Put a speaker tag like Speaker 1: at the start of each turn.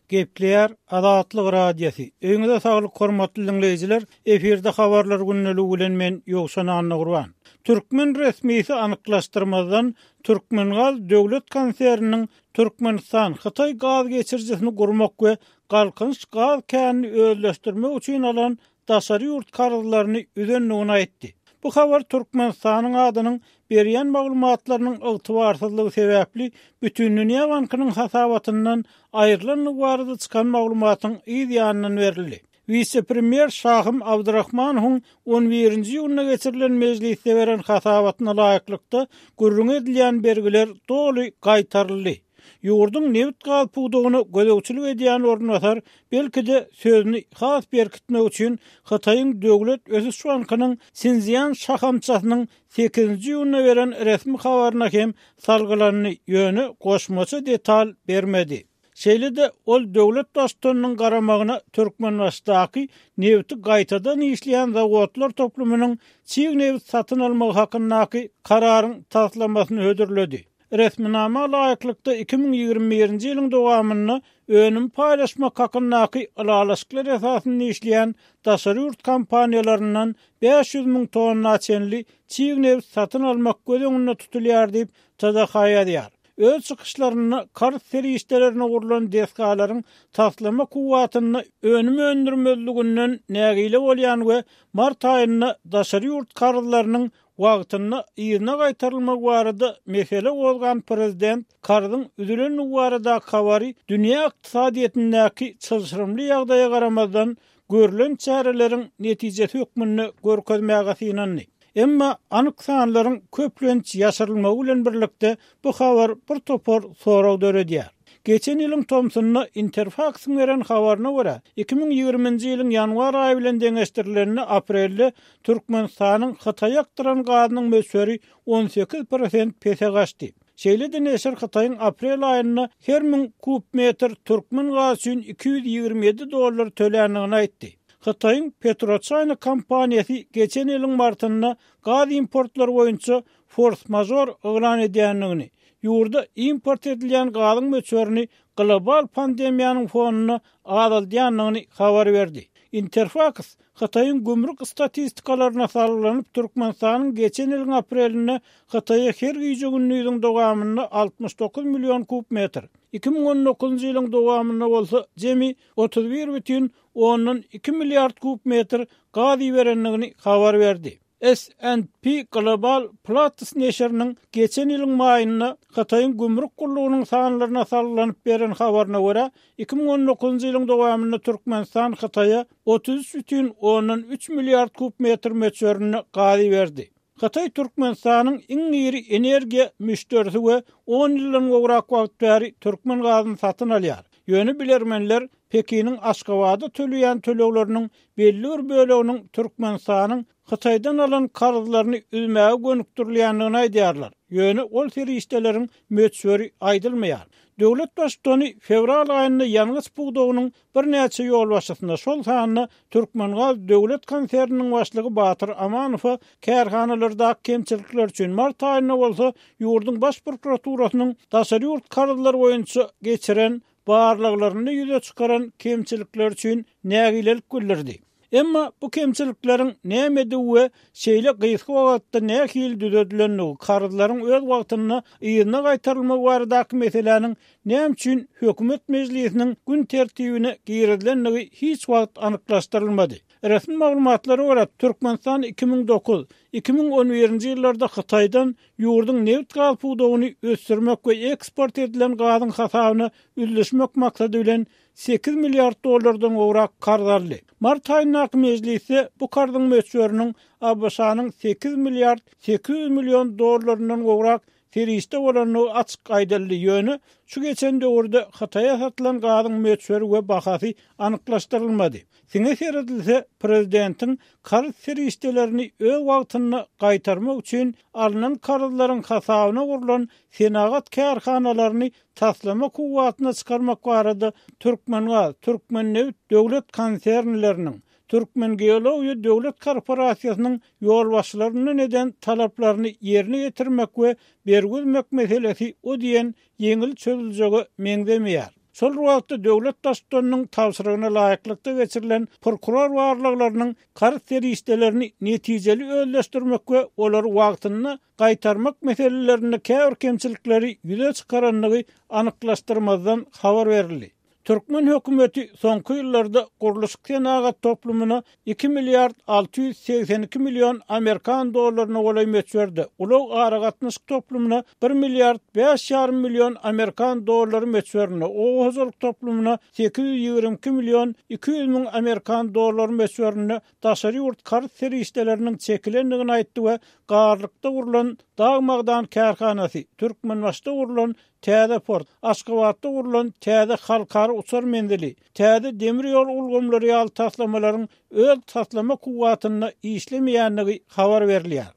Speaker 1: Gepleýär Azatlyk Radiosy. Öýüňize saglyk hormatly diňleýjiler! Efirde habarlar gündeligi bilen men Ýowşan Annagurban. Türkmen resmisi anyklaşdyrmazdan Türkmengaz döwlet konserniniň Türkmenistan, Hytaý gaz geçirijisini gurmak we Galkynyş gaz känini özleşdirmek üçin alan daşary ýurt karzlaryny üzendigini aýtdy. Bu habar Türkmenistanyň adynyň berýän maglumatlarynyň ygtybarsyzlygy sebäpli Bütindünýä bankynyň hasabatyndan aýrylandygy barada çykan maglumatyň yz ýanyndan berildi. Wise-premýer Şahym Abdurahmanowyň on birinji iýunda geçirilen mejlisde beren hasabatyna laýyklykda, gürrüňi edilýän bergiler doly gaýtaryldy. Ýurduň nebit-gaz pudagyna gözegçilik edýän orunbasar, belki-de, sözüni has berkitmek üçin Hytaýyň Döwlet ösüş bankynyň Sinszýan şahamçasynyň sekizinji iýunda beren resmi habaryna hem salgylandy, ýöne goşmaça detal bermedi. Şeýle-de, ol döwlet Baştutanynyň garamagyna Türkmenbaşydaky nebiti gaýtadan işleýän zawodlar toplumynyň çig nebit satyn almagy hakyndaky kararyň taslamasyny hödürledi. Resminama laýyklykda, 2021-nji ýylyň dowamynda önüm paýlaşmak hakyndaky ylalaşyklar esasynda işleýän daşary ýurt kompaniýalaryndan 500 müň tonna çenli çig nebit satyn almak göz öňünde tutulýar diýip, TDH ýazýar. Öz çykyşlarynda karz serişdelerine gurlan desgalaryň taslama kuwwatynda önüm öndürmezliginden nägile bolýan we mart aýynda daşary ýurt karzlarynyň wagtynda yzyna gaýtarylmagy barada mesele gozgan prezident karzyň üzülendigi baradaky habary dünýä ykdysadyýetindäki çylşyrymly ýagdaýa garamazdan görlen çäreleriň netijesi hökmünde görkezmäge synandy. Emma anyk sanlaryň köplenç ýaşyrylmagy bilen birlikde bu habar bir topar sorag döredýär. Geçen ýylyň tomsunda Interfaksyň beren habaryna görä, 2020-nji ýylyň ýanwar aýy bilen deňeşdirilende aprelde Türkmenistanyň Hytaýa akdyran gazynyň möçberi 18 prosent pese gaçdy. Şeýle-de neşir Hytaýyň aprel aýynda her müň kub metr türkmen gazy üçin 227 dollar töländigini aýtdy. Hytaýyň PetroChina kompaniýasy geçen ýylyň martynda gaz importlary boýunça fors-mažor yglan edýändigini, ýurda import edilýän gazyň möçberini global pandemiýanyň fonunda azaldýandygyny habar berdi. Interfaks Hytaýyň gümrük statistikalaryna salgylanyp, Türkmenistanyň geçen ýylyň aprelinde Hytaýa her gije-gündiziň dowamynda 69 million kub metr, 2019-njy ýylyň dowamynda bolsa jemi 31 bütin ondan iki milliard kub metr gaz iberendigini habar berdi. S&P Global Platts neşiriniň geçen ýylyň maýynda Hytaýyň gümrük gullugynyň sanlaryna salgylanyp beren habaryna görä, 2019-njy ýylyň dowamynda Türkmenistan Hytaýa 33 bütin ondan üç milliard kub metr möçberinde gaz iberdi. Hytaý Türkmenistanyň iň iri energiýa müşderisi we on ýyldan gowrak wagt bäri türkmen gazyny satyn alýar. Ýöne bilermenler Pekiniň Aşgabada töleýän tölegleriniň belli bir böleginiň Türkmenistanyň Hytaýdan alan karzlaryny üzmäge gönükdirilýändigini aýdýarlar. Ýöne ol serişdeleriň möçberi aýdylmaýar. Döwlet Baştutany fewral aýynda ýangyç pudagynyň birnäçe ýolbaşçysyna, şol sanda Türkmengaz döwlet konserniniň başlygy Batyr Amanowa kärhanalardaky kemçilikler üçin, mart aýynda bolsa ýurduň Baş prokuraturasynyň daşary ýurt karzlary boýunça geçiren barlaglarynda ýüze çykaran kemçilikleri üçin nägilelik bildirdi. Emma bu kemçilikleriň nämedigi we şeýle gysga wagtda nähili düzedilendigi, karzlaryň öz wagtynda yzyna gaýtarylmagy baradaky meseläniň näme üçin hökümet mejlisiniň gün tertibine girizilendigi hiç wagt anyklaşdyrylmady. Resmi maglumatlara görä, Türkmenistan 2009, 2011-nji ýyllarda Hytaýdan ýurduň nebit-gaz pudagyny ösdürmek we eksport edilen gazyň hasabyna üzlüşmek maksady bilen sekiz milliard dollardan gowrak karz aldy. Mart aýyndaky mejlisde bu karzyň möçberiniň ABŞ-nyň sekiz milliard 800 million dollaryndan gowrak serişde bolandygy açyk aýdyldy, ýöne şu geçen döwürde Hytaýa satylan gazyň möçberi we bahasy anyklaşdyrylmady. Siňe seredilse, prezidentiň karz serişdelerini öz wagtynda gaýtarmak üçin alnan karzlaryň hasabyna gurlan senagat kärhanalaryny taslama kuwwatyna çykarmak barada Türkmengaz, Türkmennebit döwlet konsernleriniň, Türkmengeologiýa döwlet korporasiýasynyň ýolbaşçylaryndan eden talaplaryny ýerine ýetirmek we bergi üzmek meselesi o diýen ýeňil çözüljege meňzemeýär. Şol bir wagtda, döwlet Baştutanynyň tabşyrygyna laýyklykda geçirilen prokuror barlaglarynyň karz serişdelerini netijeli özleşdirmek we olary wagtynda gaýtarmak meselelerinde käbir kemçilikleri ýüze çykarandygy anyklaşdyrmazdan habar berildi. Türkmen hökümeti soňky ýyllarda gurluşyk-senagat toplumyna iki milliard 682 million amerikan dollaryna golaý möçberde, ulag-aragatnaşyk toplumyna bir milliard bäş ýarym million amerikan dollary möçberinde, oba hojalyk toplumyna 822 million 200 müň amerikan dollary möçberinde daşary ýurt karz serişdeleriniň çekilendigini aýtdy we Garlykda gurlan dag-magdan kärhanasy, Türkmenbaşyda gurlan Täze port, Aşgabatda gurlan täze halkara uçar menzili, täze demir ýol ulgamlary ýaly taslamalaryň öz taslama kuwwatynda işlemeýändigi habar berilýär.